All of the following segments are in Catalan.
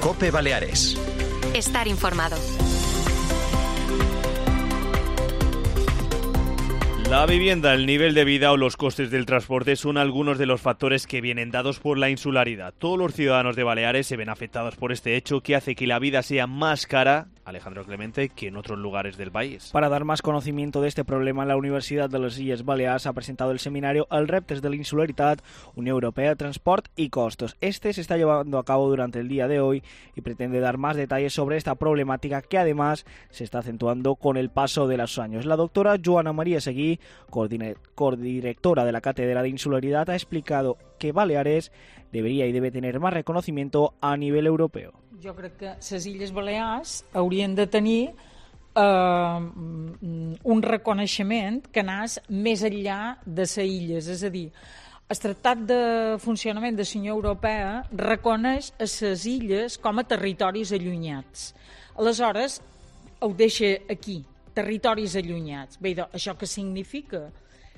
COPE Baleares. Estar informado. La vivienda, el nivel de vida o los costes del transporte son algunos de los factores que vienen dados por la insularidad. Todos los ciudadanos de Baleares se ven afectados por este hecho que hace que la vida sea más cara, Alejandro Clemente, que en otros lugares del país. Para dar más conocimiento de este problema, la Universitat de les Illes Balears ha presentado el seminario Els reptes de la insularitat, Unión Europea, Transport y Costos. Este se está llevando a cabo durante el día de hoy y pretende dar más detalles sobre esta problemática que además se está acentuando con el paso de los años. La doctora Joana María Seguí, codirectora de la Cátedra de Insularidad, ha explicado que Baleares debería y debe tener más reconocimiento a nivel europeo. Jo crec que les Illes Balears haurien de tenir un reconeixement que anés més enllà de les illes, és a dir, el Tractat de Funcionament de la Unió Europea reconeix a les illes com a territoris allunyats. Aleshores, ho deixa aquí, territoris allunyats. Bé, això què significa?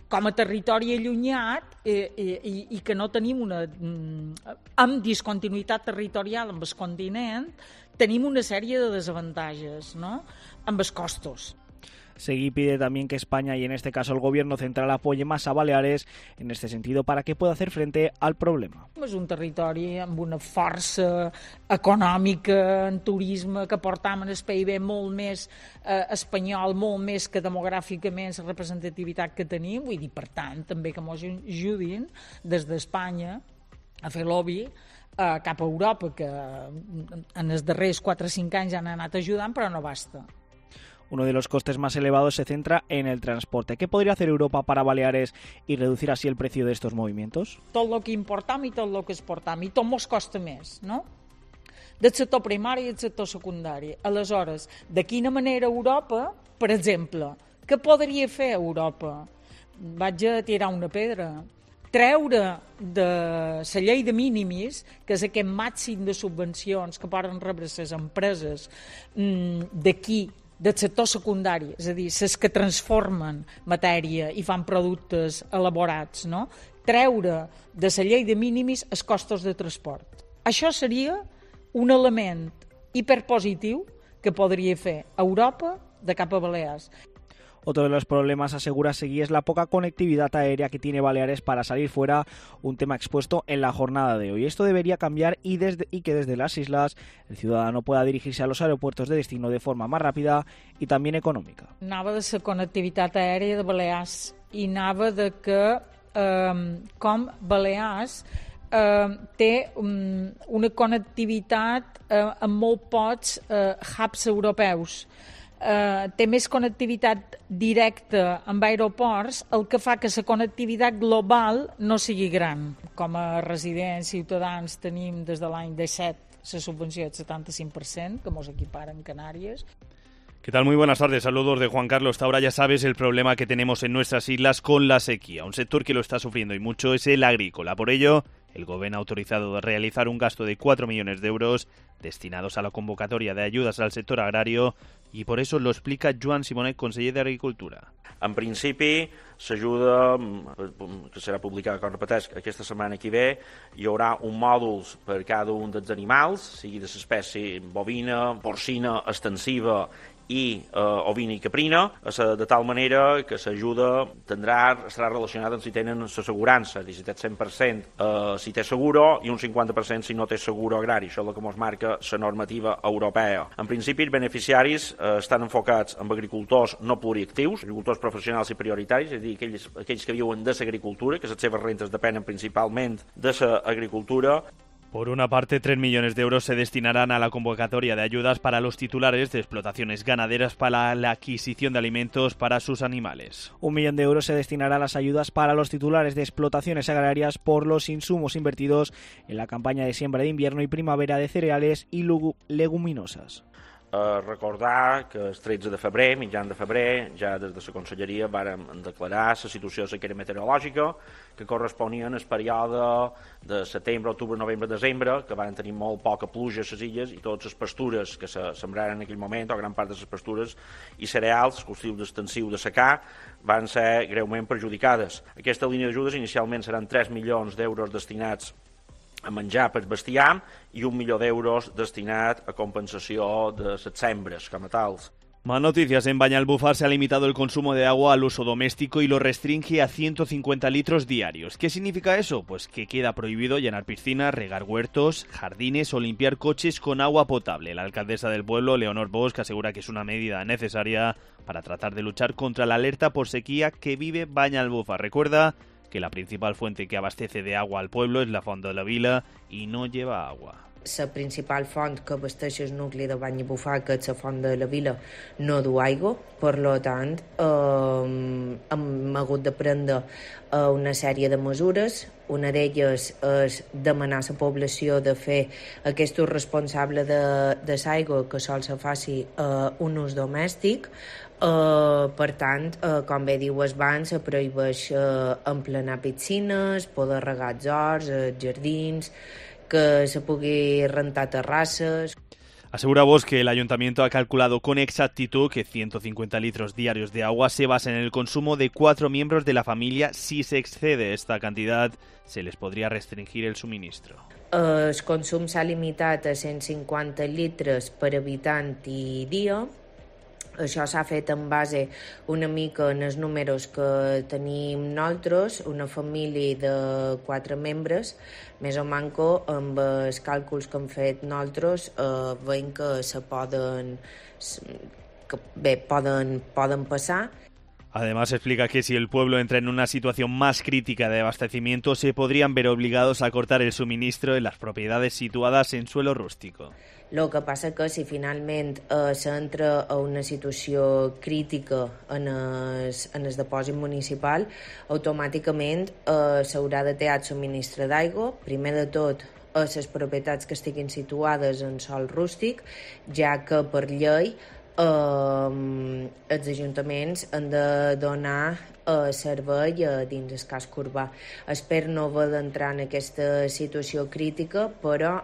Com a territori allunyat i que no tenim amb discontinuïtat territorial amb el continent, tenim una sèrie de desavantatges, ¿no? Amb els costos. Seguí pide también que España y en este caso el gobierno central apoye más a Baleares en este sentido para que pueda hacer frente al problema. És un territori amb una força econòmica en turisme que portam en el PIB molt més espanyol, molt més que demogràficament la representativitat que tenim, vull dir, per tant, també que ens ajudin des d'Espanya a fer lobby cap a Europa, que en els darrers 4 o 5 anys han anat ajudant, però no basta. Uno de los costes más elevados se centra en el transporte. ¿Qué podría hacer Europa para Baleares y reducir así el precio de estos movimientos? Tot el que importam i tot el que exportam, i tot mos costa més, no? Del sector primari i del sector secundari. Aleshores, de quina manera Europa, per exemple, què podria fer Europa? Vaig a tirar una pedra. Treure de la llei de mínimis, que és aquest màxim de subvencions que poden rebre les empreses d'aquí, del sector secundari, és a dir, les que transformen matèria i fan productes elaborats, no? Treure de la llei de mínimis els costos de transport. Això seria un element hiperpositiu que podria fer Europa de cap a Balears. Otro de los problemas, asegura Seguí, es la poca conectividad aérea que tiene Baleares para salir fuera, un tema expuesto en la jornada de hoy. Esto debería cambiar y que desde las islas el ciudadano pueda dirigirse a los aeropuertos de destino de forma más rápida y también econòmica. Anava de la connectivitat aèria de Balears i anava de que com Balears té una connectivitat amb molt pocs hubs europeus. Té més connectivitat directa amb aeroports, el que fa que la connectivitat global no sigui gran. Com a residents, ciutadans, tenim des de l'any 17 la subvenció del 75%, que mos equipara en Canàries. ¿Qué tal? Muy buenas tardes. Saludos de Juan Carlos Taura. Ya sabes el problema que tenemos en nuestras islas con la sequía. Un sector que lo está sufriendo y mucho es el agrícola. Por ello, el Gobierno ha autorizado a realizar un gasto de 4 millones de euros destinados a la convocatoria de ayudas al sector agrario i per això lo explica Joan Simonet, conseller d'Agricultura. En principi, s'ajuda, que serà publicada, com repeteix, aquesta setmana que ve, hi haurà un mòdul per cada un dels animals, sigui de l'espècie bovina, porcina, extensiva i ovina i caprina, de tal manera que l'ajuda estarà relacionada amb si tenen l'assegurança, si té 100% si té seguro i un 50% si no té seguro agrari. Això és el que ens marca la normativa europea. En principi, els beneficiaris estan enfocats en agricultors no pluriactius, agricultors professionals i prioritaris, és a dir, aquells que viuen de l'agricultura, que les seves rentes depenen principalment de l'agricultura. Por una parte, 3 millones de euros se destinarán a la convocatoria de ayudas para los titulares de explotaciones ganaderas para la adquisición de alimentos para sus animales. 1 millón de euros se destinará a las ayudas para los titulares de explotaciones agrarias por los insumos invertidos en la campaña de siembra de invierno y primavera de cereales y leguminosas. Recordar que el 13 de febrer, mitjan de febrer, ja des de la Conselleria vàrem declarar la situació de sequera meteorològica que corresponia al període de setembre, octubre, novembre, desembre, que van tenir molt poca pluja a les illes i totes les pastures que se sembraren en aquell moment, o gran part de les pastures i cereals, cultius extensius de secà, van ser greument perjudicades. Aquesta línia d'ajudes inicialment seran 3 milions d'euros destinats a menjar per bestiar i 1 milió d'euros destinat a compensació de les sembres com a tals. Más noticias. En Banyalbufar se ha limitado el consumo de agua al uso doméstico y lo restringe a 150 litros diarios. ¿Qué significa eso? Pues que queda prohibido llenar piscinas, regar huertos, jardines o limpiar coches con agua potable. La alcaldesa del pueblo, Leonor Bosch, asegura que es una medida necesaria para tratar de luchar contra la alerta por sequía que vive Banyalbufar. Recuerda que la principal fuente que abastece de agua al pueblo es la Font de la Vila y no lleva agua. La principal font que abasteix el nucli de Banyalbufar, que és la Font de la Vila, no du aigua. Per tant, hem hagut de prendre una sèrie de mesures. Una d'elles és demanar a la població de fer aquest ús responsable de l'aigua, que sol se faci un ús domèstic. Per tant, com bé diu abans, se prohibeix emplenar piscines, poder regar els horts, els jardins, que se pugui rentar terrasses. Asegura Bosch que el ayuntamiento ha calculado con exactitud que 150 litros diarios de agua se basa en el consumo de 4 miembros de la familia. Si se excede esta cantidad, se les podría restringir el suministro. El consum s'ha limitat a 150 litres per habitant i dia. Això s'ha fet en base una mica en els números que tenim nosaltres, una família de 4 membres, més o manco amb els càlculs que hem fet nosaltres, veiem que poden passar. Además, explica que si el pueblo entra en una situación más crítica de abastecimiento, se podrían ver obligados a cortar el suministro en las propiedades situadas en suelo rústico. El que passa que si finalment s'entra a una situació crítica en el depòsit municipal, automàticament s'haurà de tallar el subministre d'aigua, primer de tot a les propietats que estiguin situades en sòl rústic, ja que per llei els ajuntaments han de donar servei dins el casc urbà. Espero no haver d'entrar en aquesta situació crítica, però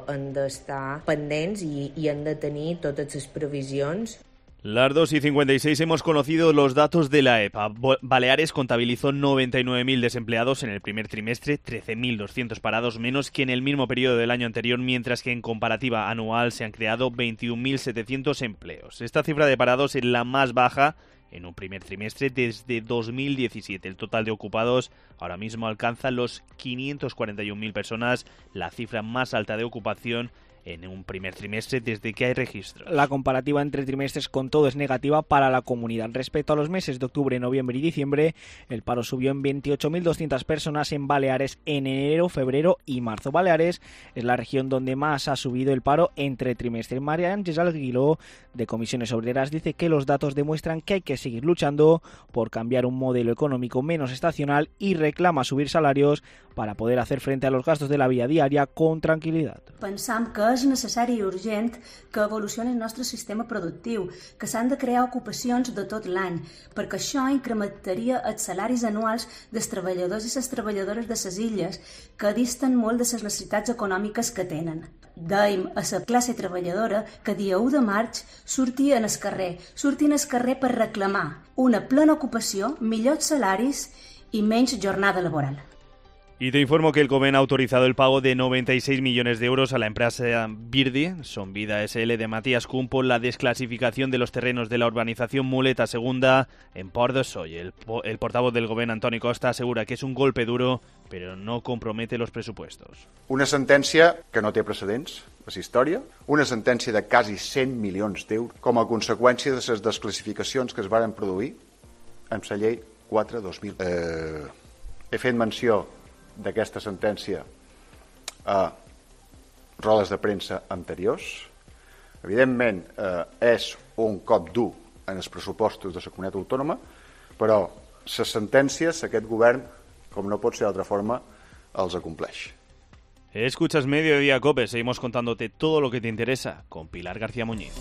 han d'estar pendents i han de tenir totes les previsions. Las 2:56 hemos conocido los datos de la EPA. Baleares contabilizó 99.000 desempleados en el primer trimestre, 13.200 parados menos que en el mismo periodo del año anterior, mientras que en comparativa anual se han creado 21.700 empleos. Esta cifra de parados es la más baja en un primer trimestre desde 2017. El total de ocupados ahora mismo alcanza los 541.000 personas, la cifra más alta de ocupación en un primer trimestre desde que hay registros. La comparativa entre trimestres con todo es negativa para la comunidad. Respecto a los meses de octubre, noviembre y diciembre, el paro subió en 28.200 personas en Baleares en enero, febrero y marzo. Baleares es la región donde más ha subido el paro entre trimestres. María Ángeles Aguiló, de Comisiones Obreras, dice que los datos demuestran que hay que seguir luchando por cambiar un modelo económico menos estacional y reclama subir salarios para poder hacer frente a los gastos de la vida diaria con tranquil·litat. Pensam que és necessari i urgent que evolucioni el nostre sistema productiu, que s'han de crear ocupacions de tot l'any, perquè això incrementaria els salaris anuals dels treballadors i les treballadores de les illes, que disten molt de les necessitats econòmiques que tenen. Dèiem a la classe treballadora que dia 1 de maig sortien al carrer per reclamar una plena ocupació, millors salaris i menys jornada laboral. Y te informo que el Govern ha autorizado el pago de 96 millones de euros a la empresa Virdi, Sonvida SL de Matías Kuhn, por la desclasificación de los terrenos de la urbanización Muleta Segunda en Port de Soy. El portavoz del Govern, Antoni Costa, asegura que es un golpe duro, pero no compromete los presupuestos. Una sentència que no té precedents a la història, una sentència de quasi 100 milions d'euros com a conseqüència de les desclassificacions que es varen produir amb la llei 4/2000. He fet menció d'aquesta sentència a rodes de premsa anteriors. Evidentment, és un cop dur en els pressupostos de la comunitat autònoma, però les sentències, aquest govern, com no pot ser d'altra forma, els acompleix. Escuchas Mediodía Cope, seguimos contándote todo lo que te interesa con Pilar García Muñiz.